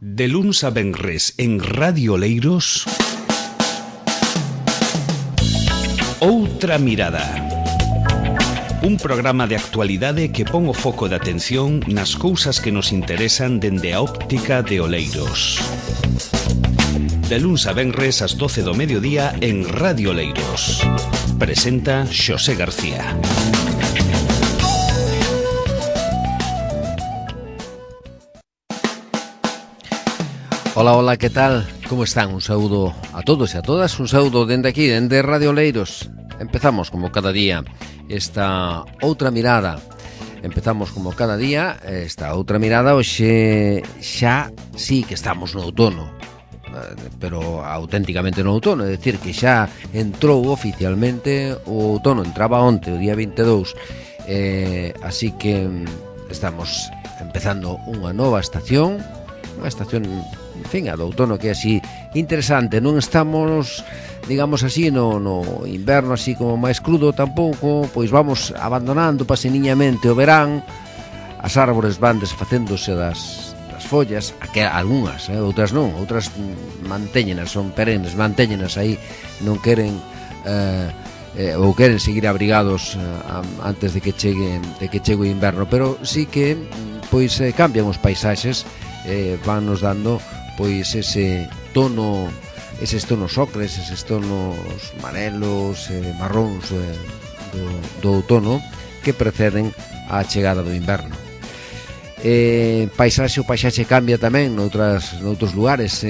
De luns a venres en Radio Oleiros, Outra Mirada. Un programa de actualidade que pon o foco de atención nas cousas que nos interesan dende a óptica de Oleiros. De luns a venres ás 12 do mediodía en Radio Oleiros. Presenta Xosé García. Ola, ola, que tal? Como están? Un saúdo a todos e a todas, un saúdo dende aquí, dende Radio Oleiros. Empezamos como cada día esta outra mirada. Empezamos como cada día esta outra mirada. Hoxe xa sí que estamos no outono, pero auténticamente no outono, é dicir que xa entrou oficialmente o outono, entraba onte, o día 22, así que estamos empezando unha nova estación, en fin, a do outono, que é así interesante. Non estamos, digamos así, no inverno así como máis crudo tampouco, pois vamos abandonando paseniñamente o verán. As árbores van desfacéndose das follas, algunhas, outras non, outras mantéñenas, son perennes, mantéñenas aí, non queren ou queren seguir abrigados antes de que chegue o inverno, pero sí que pois cambian os paisaxes, van nos dando pois ese tono, eses tonos ocres, eses tonos amarelos, marróns do outono que preceden á chegada do inverno. O paisaxe cambia tamén noutros lugares.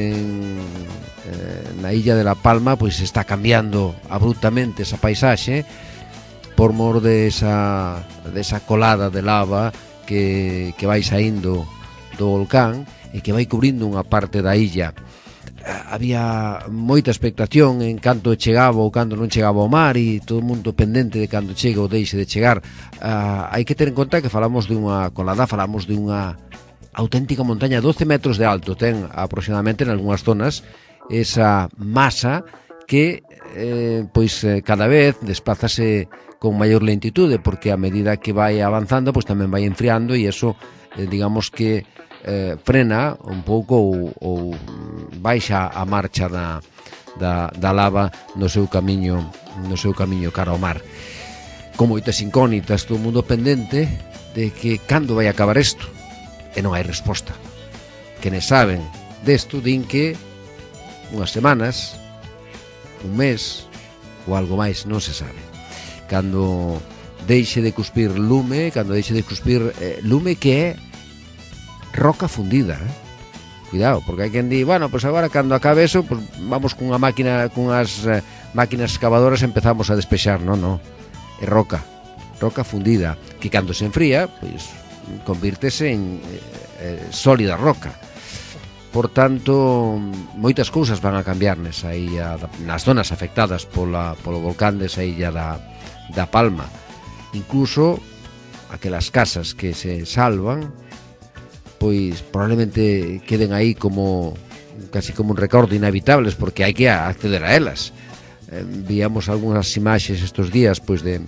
Na illa de La Palma pois está cambiando abruptamente esa paisaxe por mor desa colada de lava que vai saindo do volcán e que vai cubrindo unha parte da illa. Había moita expectación en canto chegaba ou cando non chegaba ao mar, e todo o mundo pendente de cando chega ou deixe de chegar. Hai que ter en conta que falamos dunha colada, falamos dunha auténtica montaña, 12 metros de alto, ten aproximadamente en algunhas zonas esa masa que cada vez desplázase con maior lentitude, porque a medida que vai avanzando pois tamén vai enfriando, e eso digamos que frena un pouco ou baixa a marcha da lava no seu camiño cara ao mar, con moitas incógnitas, todo o mundo pendente de que cando vai acabar isto, e non hai resposta. Quenes saben desto din que unhas semanas, un mes ou algo máis, non se sabe. Cando deixe de cuspir lume, lume que é roca fundida, Cuidado, porque hai quen di, bueno, pois agora cando acabe eso, pois vamos cunha máquina, cunhas máquinas excavadoras empezamos a despexar. Non, é roca fundida, que cando se enfría, pois convírtese en sólida roca. Por tanto, moitas cousas van a cambiar nesa illa, nas zonas afectadas polo volcán desa illa da Palma. Incluso aquelas casas que se salvan, pois probablemente queden aí casi como un recordo, inhabitables, porque hai que acceder a elas. Víamos algunhas imaxes estes días pois de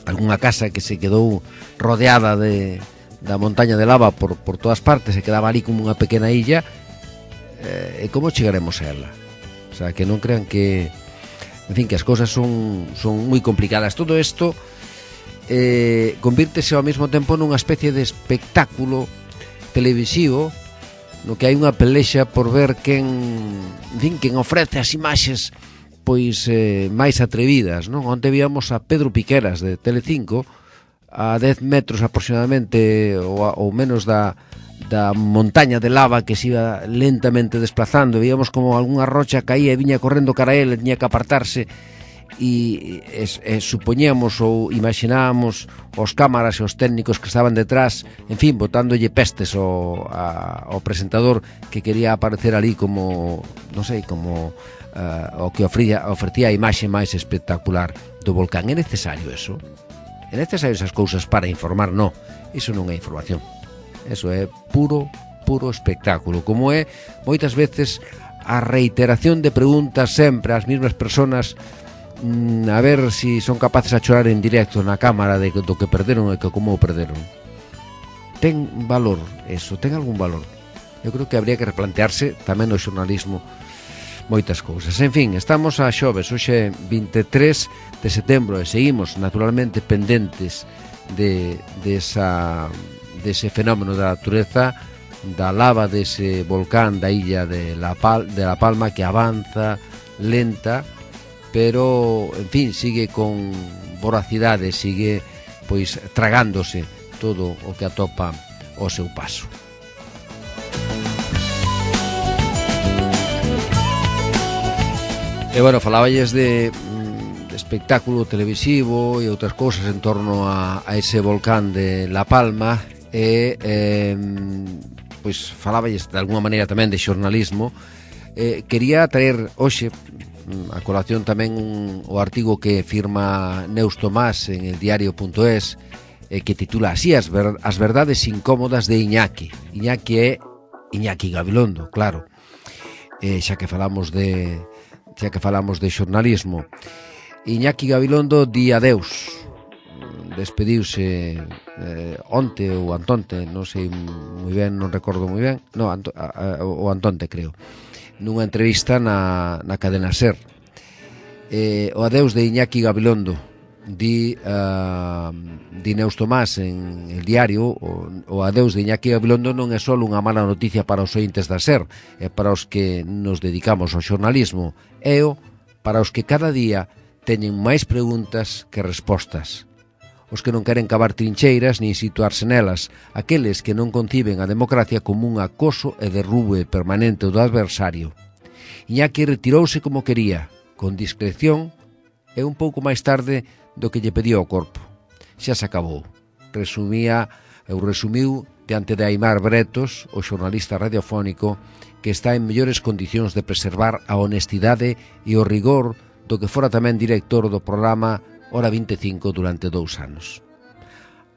algunha casa que se quedou rodeada da montaña de lava por todas partes, e quedaba ali como unha pequena illa. E como chegaremos a ela? O sea, que non crean que, en fin, que as cousas son moi complicadas. Todo isto convírtese ao mesmo tempo nunha especie de espectáculo televisivo, no que hai unha pelexa por ver quen ofrece as imaxes pois máis atrevidas, non? Onte víamos a Pedro Piqueras de Telecinco a 10 metros aproximadamente ou menos da montaña de lava que se iba lentamente desplazando. Víamos como algunha rocha caía e viña correndo cara a ele, tiña que apartarse, e supoñemos ou imaginábamos os cámaras e os técnicos que estaban detrás, en fin, botándolle pestes ao presentador que quería aparecer ali como, non sei, como o que ofrecía a imaxe máis espectacular do volcán. É necesario eso? É necesario esas cousas para informar? Non, iso non é información, eso é puro espectáculo, como é moitas veces a reiteración de preguntas sempre ás mesmas persoas, a ver si son capaces a chorar en directo na cámara do que perderon e que como o perderon. Ten valor eso? Ten algún valor? eu creo que habría que replantearse tamén no xornalismo moitas cousas. En fin, estamos a xoves, hoxe 23 de setembro, e seguimos naturalmente pendentes dese fenómeno da natureza, da lava dese volcán da illa de La Palma, que avanza lenta, pero en fin, sigue con voracidade, sigue pois tragándose todo o que atopa ao seu paso. E bueno, faláballes de espectáculo televisivo e outras cousas en torno a ese volcán de La Palma, e pois faláballes de alguma maneira tamén de xornalismo. Quería traer hoxe a colación tamén o artigo que firma Neus Tomás en el diario.es, que titula así: As verdades incómodas de Iñaki. Iñaki é Iñaki Gabilondo, claro, xa que falamos de xornalismo. Iñaki Gabilondo di adeus, despediuse onte ou antonte, non sei moi ben, non recordo moi ben, o antonte creo, nunha entrevista na cadena SER. O adeus de Iñaki Gabilondo, di Neus Tomás en el diario. O adeus de Iñaki Gabilondo non é só unha mala noticia para os ointes da SER e para os que nos dedicamos ao xornalismo, é o para os que cada día teñen máis preguntas que respostas, os que non queren cavar trincheiras nin situarse nelas, aqueles que non conciben a democracia como un acoso e derrube permanente do adversario. Iñaki retirouse como quería, con discreción e un pouco máis tarde do que lle pedía o corpo. Xa se acabou. Resumiu diante de Aimar Bretos, o xornalista radiofónico, que está en mellores condicións de preservar a honestidade e o rigor do que fora tamén director do programa Hora 25 durante 2 anos.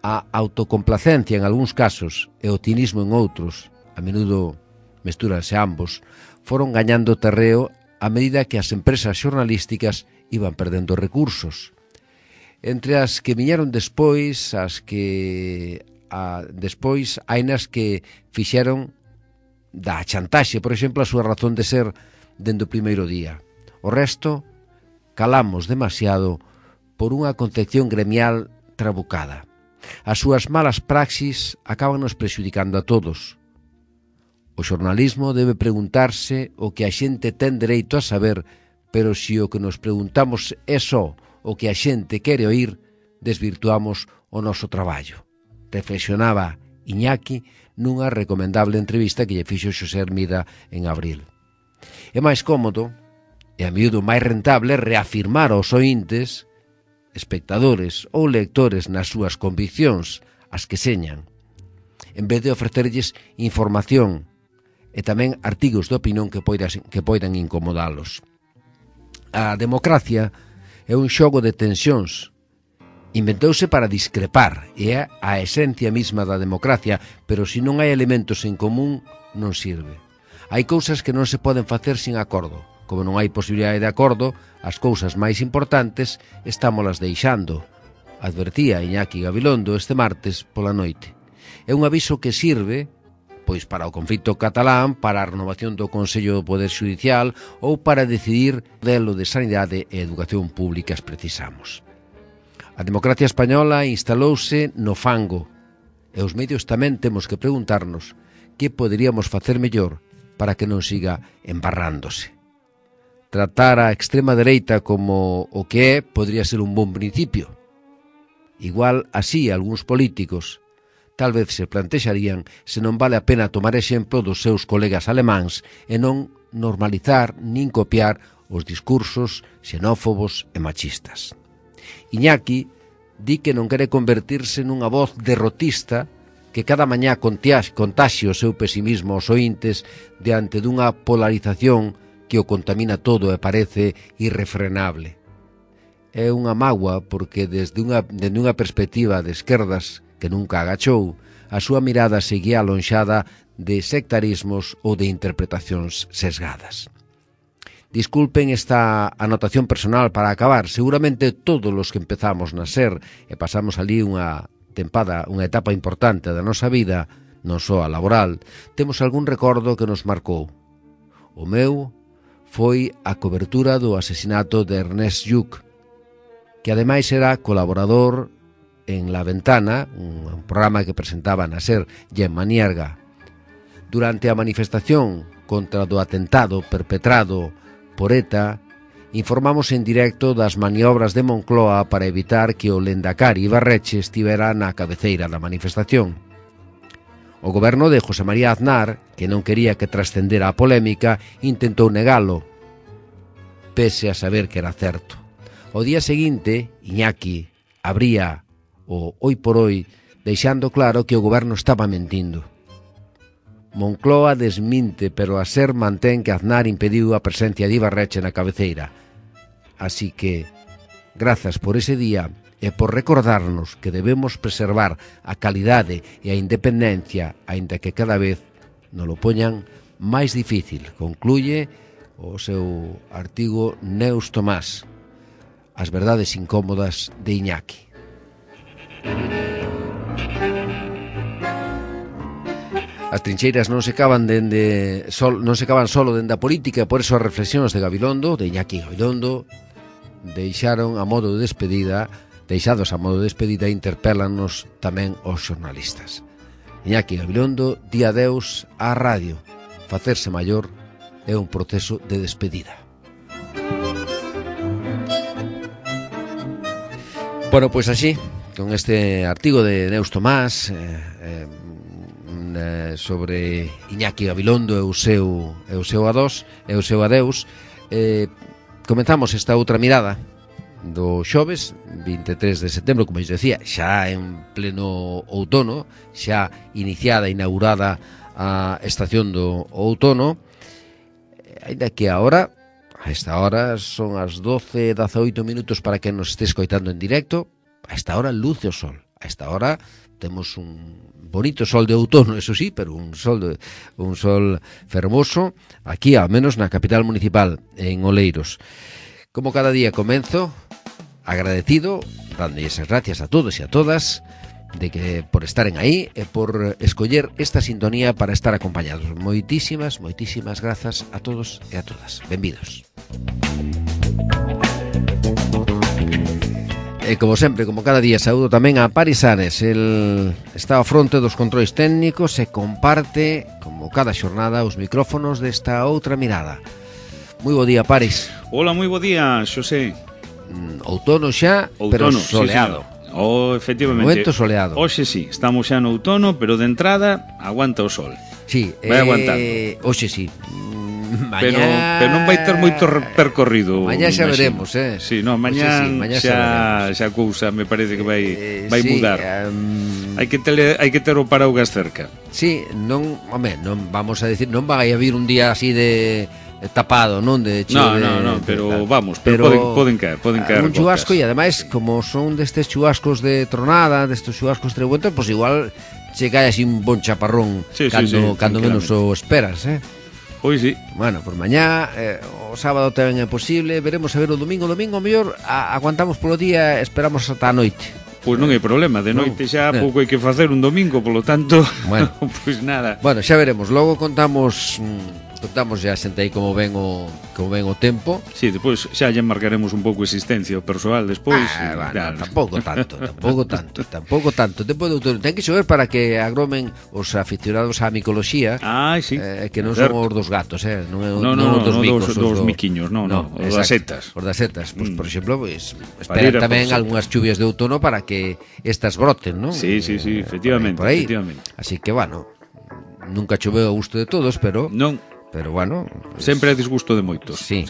A autocomplacencia en algúns casos e o cinismo en outros, a menudo mestúranse ambos, foron gañando terreo a medida que as empresas xornalísticas iban perdendo recursos. Entre as que viñeron despois, hainas que fixeron da chantaxe, por exemplo, a súa razón de ser dende o primeiro día. O resto, calamos demasiado por unha concepción gremial trabucada. As súas malas praxis acabanos prexudicando a todos. O xornalismo debe preguntarse o que a xente ten dereito a saber, pero se o que nos preguntamos é só o que a xente quere oír, desvirtuamos o noso traballo. Reflexionaba Iñaki nunha recomendable entrevista que lle fixo Xosé Hermida en abril. É máis cómodo e a miúdo máis rentable reafirmar aos ointes, espectadores ou lectores nas súas conviccións, as que señan, en vez de ofrecerlles información e tamén artigos de opinión que poidan incomodalos. A democracia é un xogo de tensións. Inventouse para discrepar, e é a esencia mesma da democracia, pero se non hai elementos en común, non sirve. Hai cousas que non se poden facer sin acordo. Como non hai posibilidade de acordo, as cousas máis importantes estámolas deixando, advertía Iñaki Gabilondo este martes pola noite. É un aviso que sirve pois para o conflito catalán, para a renovación do Consello do Poder Xudicial ou para decidir o modelo de sanidade e educación públicas precisamos. A democracia española instalouse no fango e os medios tamén temos que preguntarnos que poderíamos facer mellor para que non siga embarrándose. Tratar a extrema dereita como o que é podría ser un bon principio. Igual así algúns políticos tal vez se plantexarían se non vale a pena tomar exemplo dos seus colegas alemáns e non normalizar nin copiar os discursos xenófobos e machistas. Iñaki di que non quere convertirse nunha voz derrotista que cada mañá contaxe o seu pesimismo aos ointes diante dunha polarización que o contamina todo e parece irrefrenable. É unha mágoa porque desde unha perspectiva de esquerdas que nunca agachou, a súa mirada seguía alonxada de sectarismos ou de interpretacións sesgadas. Disculpen esta anotación personal para acabar. Seguramente todos os que empezamos na SER e pasamos ali unha etapa importante da nosa vida, non só a laboral, temos algún recordo que nos marcou. O meu foi a cobertura do asesinato de Ernest Lluch, que ademais era colaborador en La Ventana, un programa que presentaba na SER Gemma Nierga. Durante a manifestación contra o atentado perpetrado por ETA, informamos en directo das maniobras de Moncloa para evitar que o Lendakari Ibarretxe estivera na cabeceira da manifestación. O goberno de José María Aznar, que non quería que trascendera a polémica, intentou negalo, pese a saber que era certo. O día seguinte, Iñaki abría o Hoy por Hoy, deixando claro que o goberno estaba mentindo. Moncloa desminte, pero a SER mantén que Aznar impediu a presencia de Ibarretxe na cabeceira. Así que, grazas por ese día e por recordarnos que debemos preservar a calidade e a independencia, aínda que cada vez nos lo poñan máis difícil, concluye o seu artigo Neus Tomás, As verdades incómodas de Iñaki. As trincheiras non se caban solo dende a política, por eso as reflexións de Gabilondo, de Iñaki Gabilondo, deixados a modo de despedida, interpélanos tamén os xornalistas. Iñaki Gabilondo di adeus á radio. Facerse maior é un proceso de despedida. Bueno, pois así, con este artigo de Neus Tomás sobre Iñaki Gabilondo e o seu adeus, comenzamos esta outra mirada do xoves 23 de setembro, como eu dicía, xa en pleno outono, xa iniciada, inaugurada a estación do outono, ainda que a esta hora son as 12:18 minutos para que nos esté escoitando en directo. A esta hora luce o sol, a esta hora temos un bonito sol de outono, eso sí, pero un sol fermoso aquí, ao menos na capital municipal, en Oleiros. Como cada día comenzo agradecido, dando esas gracias a todos e a todas de que por estaren aí e por escoller esta sintonía para estar acompañados. Moitísimas grazas a todos e a todas. Benvidos. E como sempre, como cada día, saúdo tamén a Paris Ares. El está ao fronte dos controis técnicos e comparte, como cada xornada, os micrófonos desta outra mirada. Moi bo día, Paris. Hola, moi bo día, Xosé. Outono xa, pero soleado. Sí, efectivamente. Momento soleado. Hoxe sí, estamos xa no outono, pero de entrada aguanta o sol. Sí, vai aguantando. Hoxe sí. Mañá... Pero non vai ter moito percorrido. Mañá xa veremos, Sí, no, mañá xa cousa me parece que vai sí, mudar. Hai que ter o paraugas cerca. Sí, non vamos a decir, non vai a vir un día así de tapado, non de cheo. No, pero vamos, pero poden caer un chubasco, e ademais como son destes chubascos de tronada, destes chubascos trebuentos, pois igual che cae así un bon chaparrón cando menos o esperas, Pois sí. Bueno, por mañá, o sábado tamén é posible, veremos a ver o domingo mellor aguantamos polo día, esperamos ata a noite. Pois non hai problema, de noite xa pouco hai que facer un domingo, polo tanto, bueno, pois nada. Bueno, xa veremos, logo contamos já xente aí como ven o tempo. Sí, depois xa lle marcaremos un pouco a existencia o persoal despois. Bueno, tampouco tanto. Tempo de outono ten que xover para que agromen os aficionados á micoloxía. Sí. Que non son os dos gatos, non os dos micos, dos miquiños, non, os das setas. Os das setas, pois por exemplo, pois esperan tamén algunhas chuvias de outono para que estas broten, non? Sí, efectivamente. Así que, bueno, nunca choveu a gusto de todos, pero non. Pero bueno, pues, sempre é disgusto de moitos. Sí.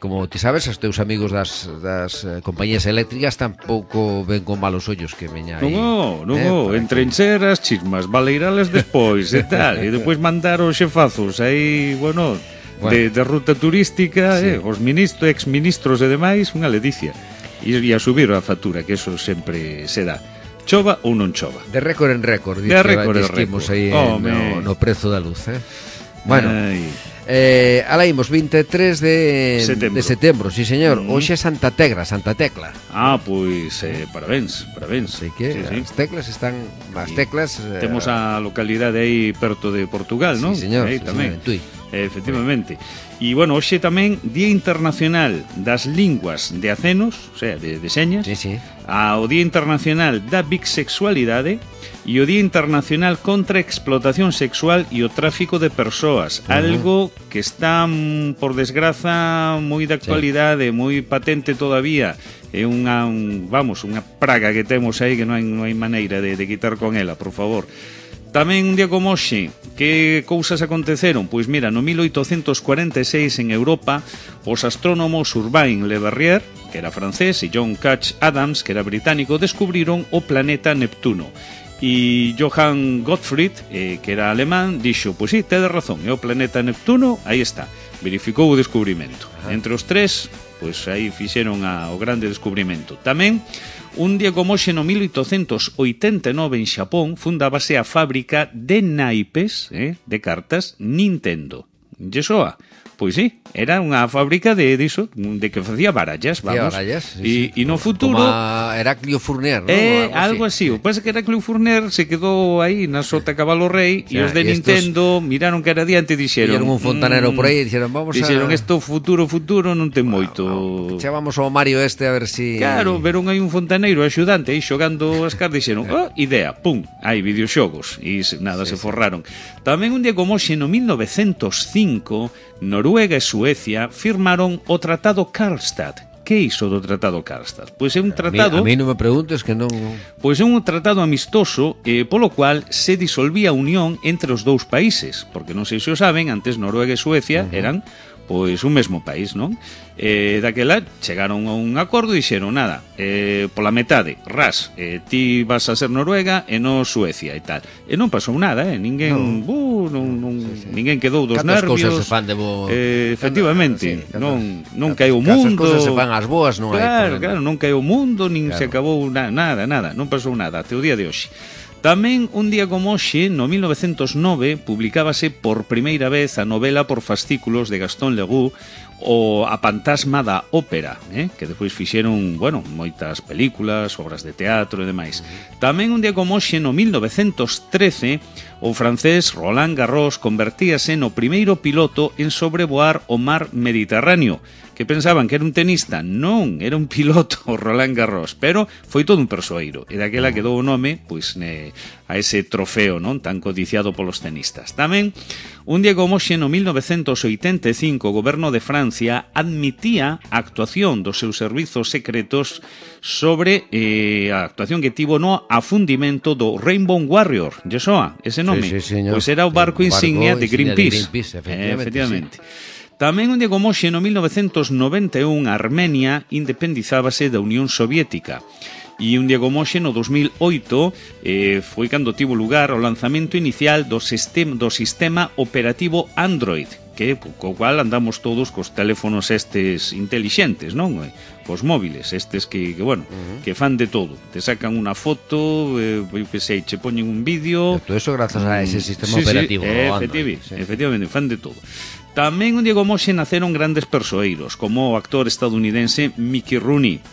Como ti sabes, os teus amigos das compañías eléctricas tampouco ven con malos ollos que veña aí. Non, entrencher as chismas, baleirales despois e tal, e depois mandar os xefazos aí, bueno. De ruta turística, sí. Os exministros e demais, unha ledicia. E a subir a factura, que eso sempre se dá. Chova ou non chova. De récord en récord, disquimos aí no prezo da luz, Bueno, Alá imos, 23 de setembro, sí señor. Hoxe é Santa Tecla. Pois, parabéns. Así que as teclas están... As teclas... Temos a localidade aí perto de Portugal, non? Sí, señor, aí tamén. En Tui. Efectivamente. E, bueno, hoxe tamén Día Internacional das Linguas de Acenos, o sea, de señas. Sí. O Día Internacional da Bisexualidade e o Día Internacional contra a Explotación Sexual e o Tráfico de Persoas. Algo que está, por desgraza, moi de actualidade, moi patente todavía. É unha praga que temos aí que non hai maneira de quitar con ela, por favor. Tamén un día como hoxe, que cousas aconteceron? Pois mira, no 1846 en Europa, os astrónomos Urbain Le Verrier, que era francés, e John Couch Adams, que era británico, descubriron o planeta Neptuno. E Johann Gottfried, que era alemán, dixo, pois sí, tedes razón, é o planeta Neptuno, aí está, verificou o descubrimento. Entre os tres, pois aí fixeron o grande descubrimento. Tamén, un día como hoxe no 1889 en Xapón fundábase a fábrica de naipes de cartas Nintendo. Lle soa? Pois sí, era unha fábrica de que facía barallas, vamos. Sí. E no futuro... Como Heraclio Fournier, ¿no? Algo así. O que pasa que Heraclio Fournier se quedou aí na sota Cabalo Rei e os de Nintendo miraron que era adiante e dixeron... Vieron un fontanero por aí e dixeron, Dixeron, isto futuro non ten moito. Chamamos ao Mario a ver si... Claro, veron aí un fontaneiro axudante aí xogando as cartas e dixeron, idea, pum, hai videoxogos. E nada, se forraron. Tamén un día como hoxe, no 1905... Noruega e Suecia firmaron o Tratado Karlstad. Que iso do Tratado Karlstad? Pois é un tratado... A mí non me preguntes que non... Pois é un tratado amistoso polo cual se disolvía a unión entre os dous países. Porque non sei se o saben, antes Noruega e Suecia eran pois un mesmo país, non? Daquela chegaron a un acordo e dixeron, nada, pola metade, ti vas a ser Noruega e non Suecia e tal. E non pasou nada, ninguén ninguén quedou dos nervios. Cantas cousas se fan de bo... Efectivamente, non caeu o mundo. Cantas cousas se fan as boas, non hai problema. Claro, non caeu o mundo, nin se acabou nada, non pasou nada, até o día de hoxe. Tamén, un día como hoxe, no 1909, publicábase por primeira vez a novela por fascículos de Gastón Leroux, A Fantasma da Ópera, que despois fixeron, moitas películas, obras de teatro e demais. Tamén, un día como hoxe, no 1913, o francés Roland Garros convertíase no primeiro piloto en sobrevoar o mar Mediterráneo, que pensaban que era un tenista. Non, era un piloto, o Roland Garros, pero foi todo un persoeiro, e daquela quedou o nome a ese trofeo non tan codiciado polos tenistas. Tamén, un día como hoxe, no 1985, o goberno de Francia admitía a actuación dos seus servizos secretos sobre a actuación que tivo no afundimento do Rainbow Warrior. Lle soa ese nome? Sí, señor. Pois era o barco insignia de Greenpeace. Efectivamente. Tamén un día como hoxe, no 1991, Armenia independizábase da Unión Soviética. E un día como hoxe, no 2008, foi cando tivo lugar o lanzamento inicial do sistema operativo Android, co cual andamos todos cos teléfonos estes intelixentes, non? Cos móviles, estes que fan de todo. Te sacan unha foto, che poñen un vídeo... Todo eso grazas a ese sistema operativo. Efectivamente, fan de todo. Tamén un día como hoxe naceron grandes persoeiros, como o actor estadounidense Mickey Rooney,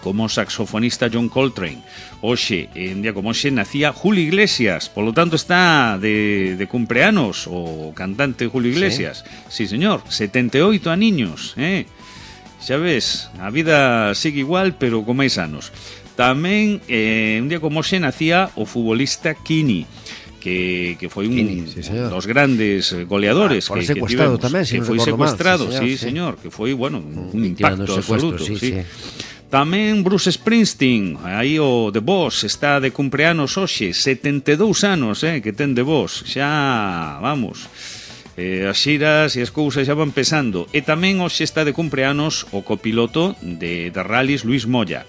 como o saxofonista John Coltrane. Hoxe, en día como hoxe, nacía Julio Iglesias, polo tanto está de cumpleanos o cantante Julio Iglesias. Sí, señor, 78 aniños, xa ves, a vida sigue igual, pero con máis anos. Tamén, un día como hoxe, nacía o futbolista Kini, que foi un dos grandes goleadores que secuestrado tamén, que foi secuestrado, señor, que foi, un impacto absoluto, sí. Tamén Bruce Springsteen, aí o The Boss, está de cumpleanos hoxe, 72 anos, que ten The Boss, xa, vamos, as xiras e as cousas xa van pesando. E tamén hoxe está de cumpleanos o copiloto de rallies Luis Moya.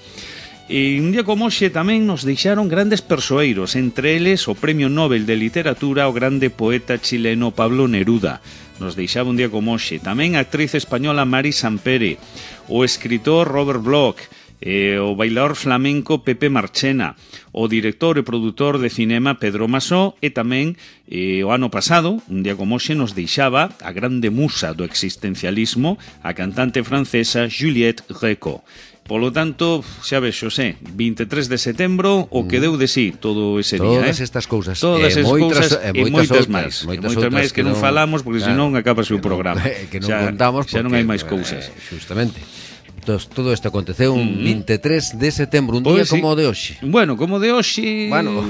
E un día como hoxe tamén nos deixaron grandes persoeiros, entre eles o Premio Nobel de Literatura o grande poeta chileno Pablo Neruda. Nos deixaba un día como hoxe. Tamén a actriz española Mari Sampere, o escritor Robert Bloch o bailador flamenco Pepe Marchena, o director e produtor de cinema Pedro Masó, e tamén o ano pasado, un día como hoxe, nos deixaba a grande musa do existencialismo, a cantante francesa Juliette Gréco. Polo tanto, xa ves, Xosé, 23 de setembro, o que deu de sí todo ese día. Todas estas cousas. Todas esas cousas e moitas máis. Moitas máis que non falamos, porque senón acabase o programa. Que non contamos, xa non hai máis cousas. Justamente. Todo isto aconteceu un 23 de setembro, un día como o de hoxe. Bueno, como o de hoxe... Bueno,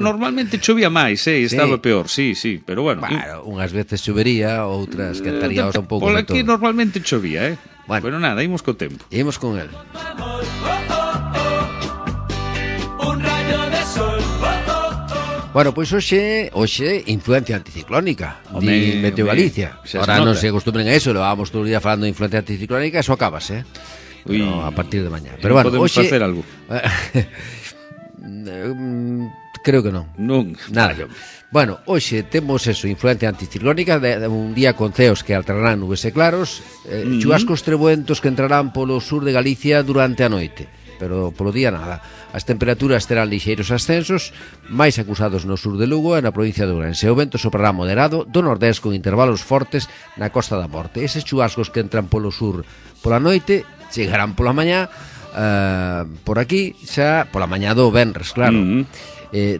normalmente chovía máis, estaba peor, sí, pero bueno. Unhas veces chovería, outras cantaríamos un pouco. Por aquí normalmente chovía, Bueno, pero nada, imos co tempo. Imos con el. Bueno, pois hoxe influencia anticiclónica de Meteo Galicia. Ahora non se acostumbren a eso, levamos todo o día falando de influencia anticiclónica, eso acabase, pero a partir de mañá. Pero bueno, podemos facer algo. Creo que non. Non, nada. Bueno, hoxe temos eso, influencia anticiclónica, un día con ceos que alternarán nubes e claros, chuvascos trebuentos que entrarán polo sur de Galicia durante a noite, pero polo día nada. As temperaturas terán lixeiros ascensos, máis acusados no sur de Lugo e na provincia de Ourense. O vento soprará moderado do nordés con intervalos fortes na Costa da Morte. Eses chuvascos que entran polo sur pola noite chegarán pola mañá, por aquí xa pola mañá do venres, claro.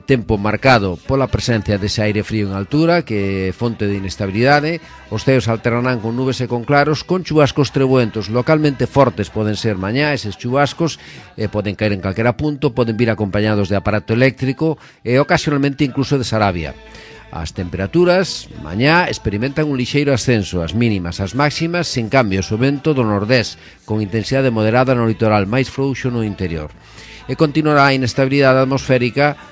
Tempo marcado pola presencia dese aire frío en altura, que é fonte de inestabilidade. Os ceos alternarán con nubes e con claros, con chubascos trebuentos localmente fortes. Poden ser mañá eses chubascos, poden caer en calquera punto, poden vir acompañados de aparato eléctrico e ocasionalmente incluso de Sarabia. As temperaturas mañá experimentan un lixeiro ascenso, as mínimas, as máximas, sen cambios, o vento do nordés, con intensidade moderada no litoral, máis frouxo no interior. E continuará a inestabilidade atmosférica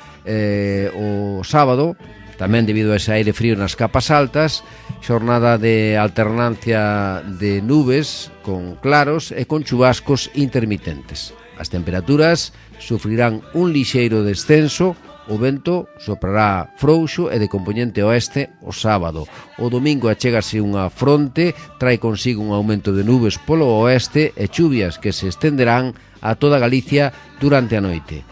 o sábado, tamén debido a ese aire frío nas capas altas, xornada de alternancia de nubes con claros e con chubascos intermitentes. As temperaturas sufrirán un lixeiro descenso, o vento soprará frouxo e de compoñente oeste o sábado. O domingo achégase unha fronte, trae consigo un aumento de nubes polo oeste e chuvias que se estenderán a toda Galicia durante a noite.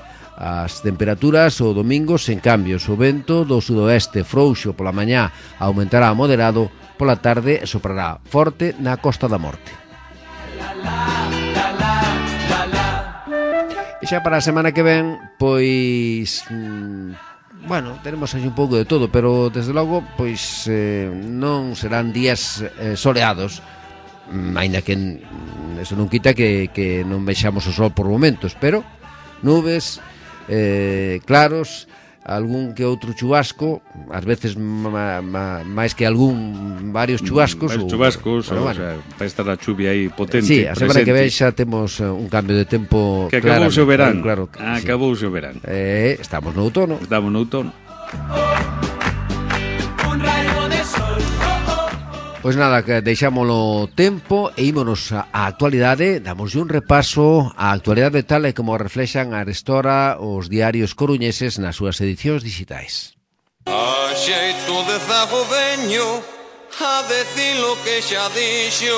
As temperaturas o domingo sen cambios, o vento do sudoeste frouxo pola mañá aumentará a moderado, pola tarde soprará forte na Costa da Morte. E xa para a semana que ven, pois bueno, tenemos aí un pouco de todo, pero desde logo pois non serán días soleados, aínda que eso non quita que non vexamos o sol por momentos, pero nubes claros, algún que outro chubasco, ás veces máis que varios chubascos. Varios chubascos, o sea, vai estar a chuvia aí potente. Sí, a semana que ven xa temos un cambio de tempo. Que acabouse o verán. Claro, acabouse o verán. Estamos no outono. Pois nada, que deixámoslo tempo e ímonos á actualidade. Damos un repaso á actualidade tal e como reflexan arestora os diarios coruñeses nas súas edicións digitais. A xeito de zago veño a decir lo que xa dixo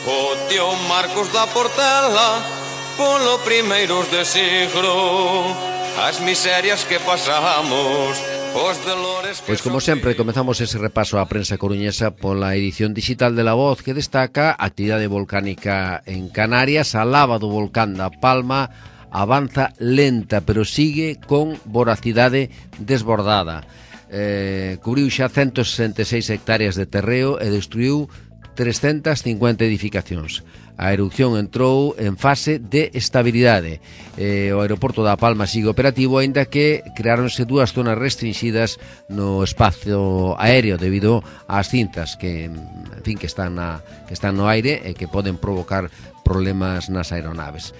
o tío Marcos da Portela polo primeiros de siglo, as miserias que pasamos. Pois como sempre comezamos ese repaso á prensa coruñesa pola edición digital de La Voz, que destaca a actividade volcánica en Canarias. A lava do volcán da Palma avanza lenta, pero sigue con voracidade desbordada. Cubriu xa 166 hectáreas de terreo e destruiu 350 edificacións. A erupción entrou en fase de estabilidade. O aeroporto da Palma sigue operativo, aínda que creáronse dúas zonas restringidas no espacio aéreo debido ás cintas que están no aire e que poden provocar problemas nas aeronaves.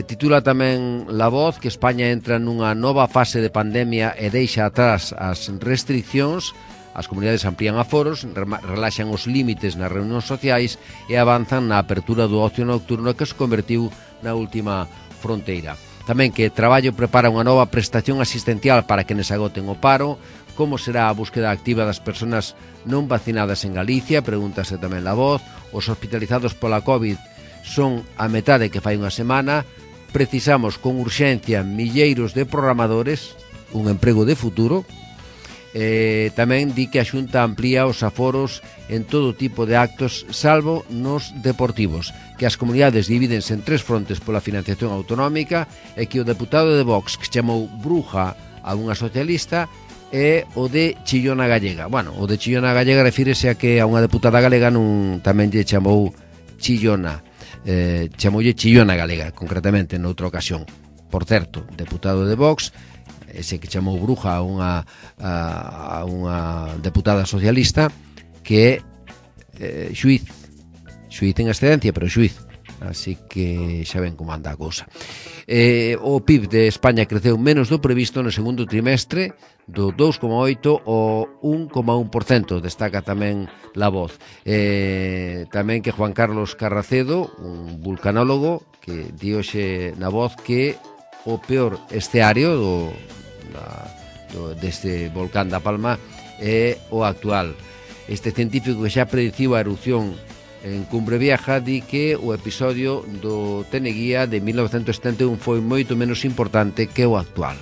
Titula tamén La Voz que España entra nunha nova fase de pandemia e deixa atrás as restriccións. As comunidades amplían aforos, relaxan os límites nas reunións sociais e avanzan na apertura do ocio nocturno que se convertiu na última fronteira. Tamén que Traballo prepara unha nova prestación asistencial para quenes agoten o paro. Como será a búsqueda activa das persoas non vacinadas en Galicia? Pregúntase tamén La Voz. Os hospitalizados pola COVID son a metade que fai unha semana. Precisamos con urxencia milleiros de programadores, un emprego de futuro. Tamén di que a Xunta amplía os aforos en todo tipo de actos, salvo nos deportivos, que as comunidades divídense en 3 frontes pola financiación autonómica, e que o deputado de Vox, que chamou bruja a unha socialista, é o de Chillona Gallega. Bueno, o de Chillona Gallega refírese a que a unha deputada galega tamén lle chamou Chillona, chamoulle Chillona Galega, concretamente noutra ocasión. Por certo, deputado de Vox, ese que chamou bruja a unha deputada socialista, que é xuiz en excedencia, pero xuiz, así que xa ven como anda a cousa. O PIB de España creceu menos do previsto no segundo trimestre, do 2,8 ao 1,1%, destaca tamén La Voz. Tamén que Juan Carlos Carracedo, un vulcanólogo, que di hoxe na Voz que o peor esteario deste volcán da Palma é o actual. Este científico que xa prediciu a erupción en Cumbre Vieja di que o episodio do Teneguía de 1971 foi moito menos importante que o actual.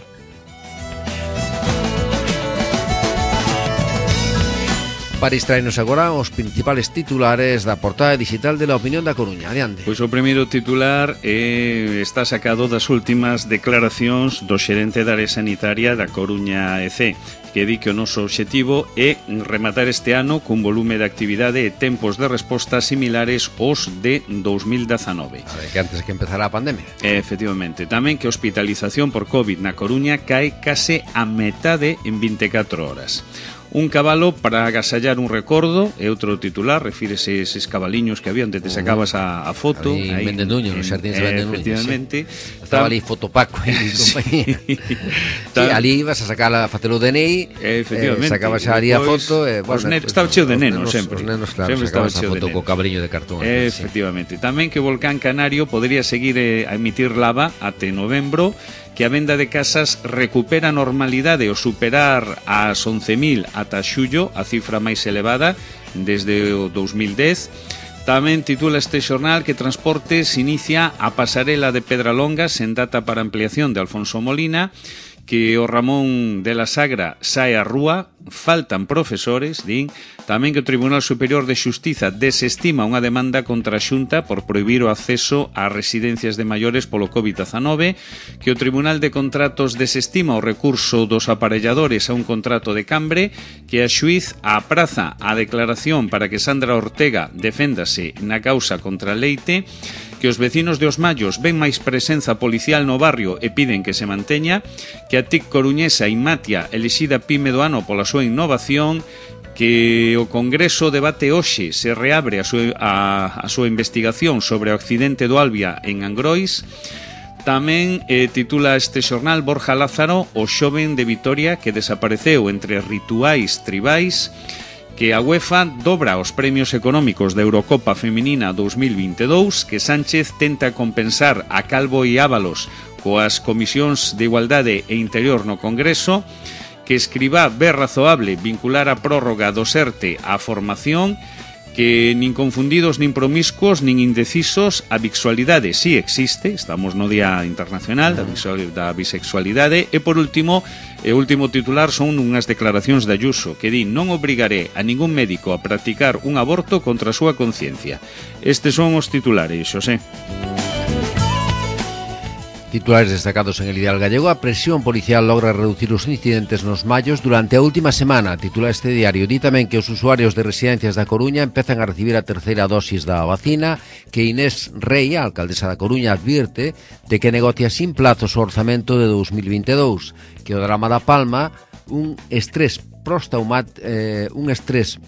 Para distraernos agora os principales titulares da portada digital de La Opinión da Coruña. Adiante. Pois o primeiro titular está sacado das últimas declaracións do xerente da área sanitaria da Coruña EC, que di que o noso obxectivo é rematar este ano cun volume de actividade e tempos de resposta similares aos de 2019. A ver, que antes que empezara a pandemia. Efectivamente. Tamén que a hospitalización por COVID na Coruña cae case a metade en 24 horas. Un cabalo para agasallar un recordo, é outro titular, refírese a eses cabaliños que había onde te sacabas a foto. Aí en Vendenuño, nos xardíns de Vendenuño. Efectivamente. Sí. Estaba ali Fotopaco e compañía. Sí, ali ibas a sacar a facer o DNI, sacabas ali a foto. Estaba cheo de nenos sempre. Os nenos, claro, sempre sacabas a foto co cabaliño de cartón. Efectivamente. Tamén que Volcán Canario podría seguir a emitir lava até novembro, que a venda de casas recupera a normalidade ao superar as 11.000 ata xullo, a cifra máis elevada desde o 2010. Tamén titula este xornal que Transportes inicia a pasarela de Pedralonga sen data para ampliación de Alfonso Molina, que o Ramón de la Sagra sae á rúa, faltan profesores, din. Tamén que o Tribunal Superior de Xustiza desestima unha demanda contra a Xunta por prohibir o acceso ás residencias de maiores polo COVID-19, que o Tribunal de Contratos desestima o recurso dos aparelladores a un contrato de Cambre, que a xuiz apraza a declaración para que Sandra Ortega deféndase na causa contra Leite, que os vecinos de Os Mallos ven máis presenza policial no barrio e piden que se manteña, que a TIC coruñesa Inmatia elixida PYME do ano pola súa innovación, que o Congreso debate hoxe se reabre a súa investigación sobre o accidente do Albia en Angrois. Tamén titula este xornal Borja Lázaro, o xoven de Vitoria que desapareceu entre rituais tribais, que a UEFA dobra os premios económicos da Eurocopa Feminina 2022, que Sánchez tenta compensar a Calvo e Ábalos coas comisións de Igualdade e Interior no Congreso, que Escribá ve razoable vincular a prórroga do SERTE á formación, que nin confundidos nin promiscuos nin indecisos, a bisexualidade si existe, estamos no Día Internacional da Bisexualidade. E por último, o último titular son unhas declaracións de Ayuso, que di: non obrigaré a ningún médico a practicar un aborto contra a súa conciencia. Estes son os titulares, Xosé. Titulares destacados en El Ideal Gallego. A presión policial logra reducir os incidentes nos Mallos durante a última semana. Titula este diario. Di tamén que os usuarios de residencias da Coruña empezan a recibir a terceira dosis da vacina, que Inés Rei, a alcaldesa da Coruña, advirte de que negocia sin plazos o orzamento de 2022, que o drama da Palma, un estrés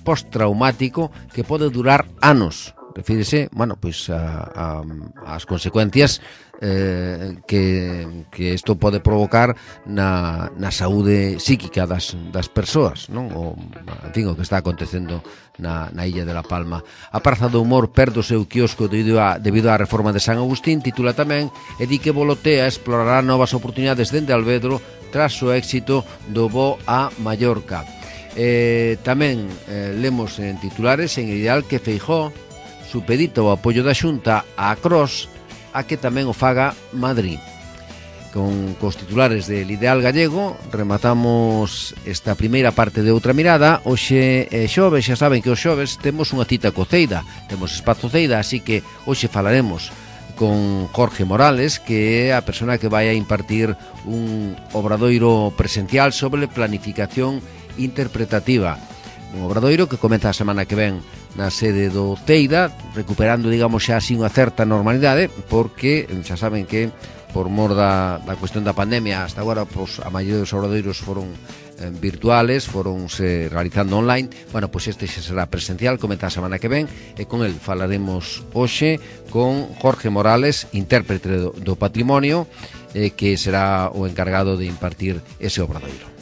postraumático que pode durar anos. Refírese, ás consecuencias que isto pode provocar na saúde psíquica das persoas, non? O que está acontecendo na illa de La Palma. A Praza do Humor perde o seu quiosco debido á reforma de San Agustín, titula tamén, e di que Volotea explorará novas oportunidades dende Alvedro tras o éxito do voo a Mallorca. Tamén lemos en titulares en Ideal que Feijóo supedita o apoio da Xunta á CROS a que tamén o faga Madrid. Con cos titulares del Ideal Gallego rematamos esta primeira parte de Outra Mirada. Hoxe é xoves, xa saben que os xoves temos unha cita co Ceida, temos espazo Ceida, así que hoxe falaremos con Jorge Morales, que é a persona que vai a impartir un obradoiro presencial sobre planificación interpretativa. Un obradoiro que comeza a semana que ven na sede do Ceida, recuperando, digamos, xa así unha certa normalidade, porque xa saben que por mor da cuestión da pandemia hasta agora, pois, a maioría dos obradoiros foron virtuales, foronse realizando online. Bueno, pois este xa será presencial, comenta a semana que ven, e con el falaremos hoxe con Jorge Morales, intérprete do patrimonio, que será o encargado de impartir ese obradoiro.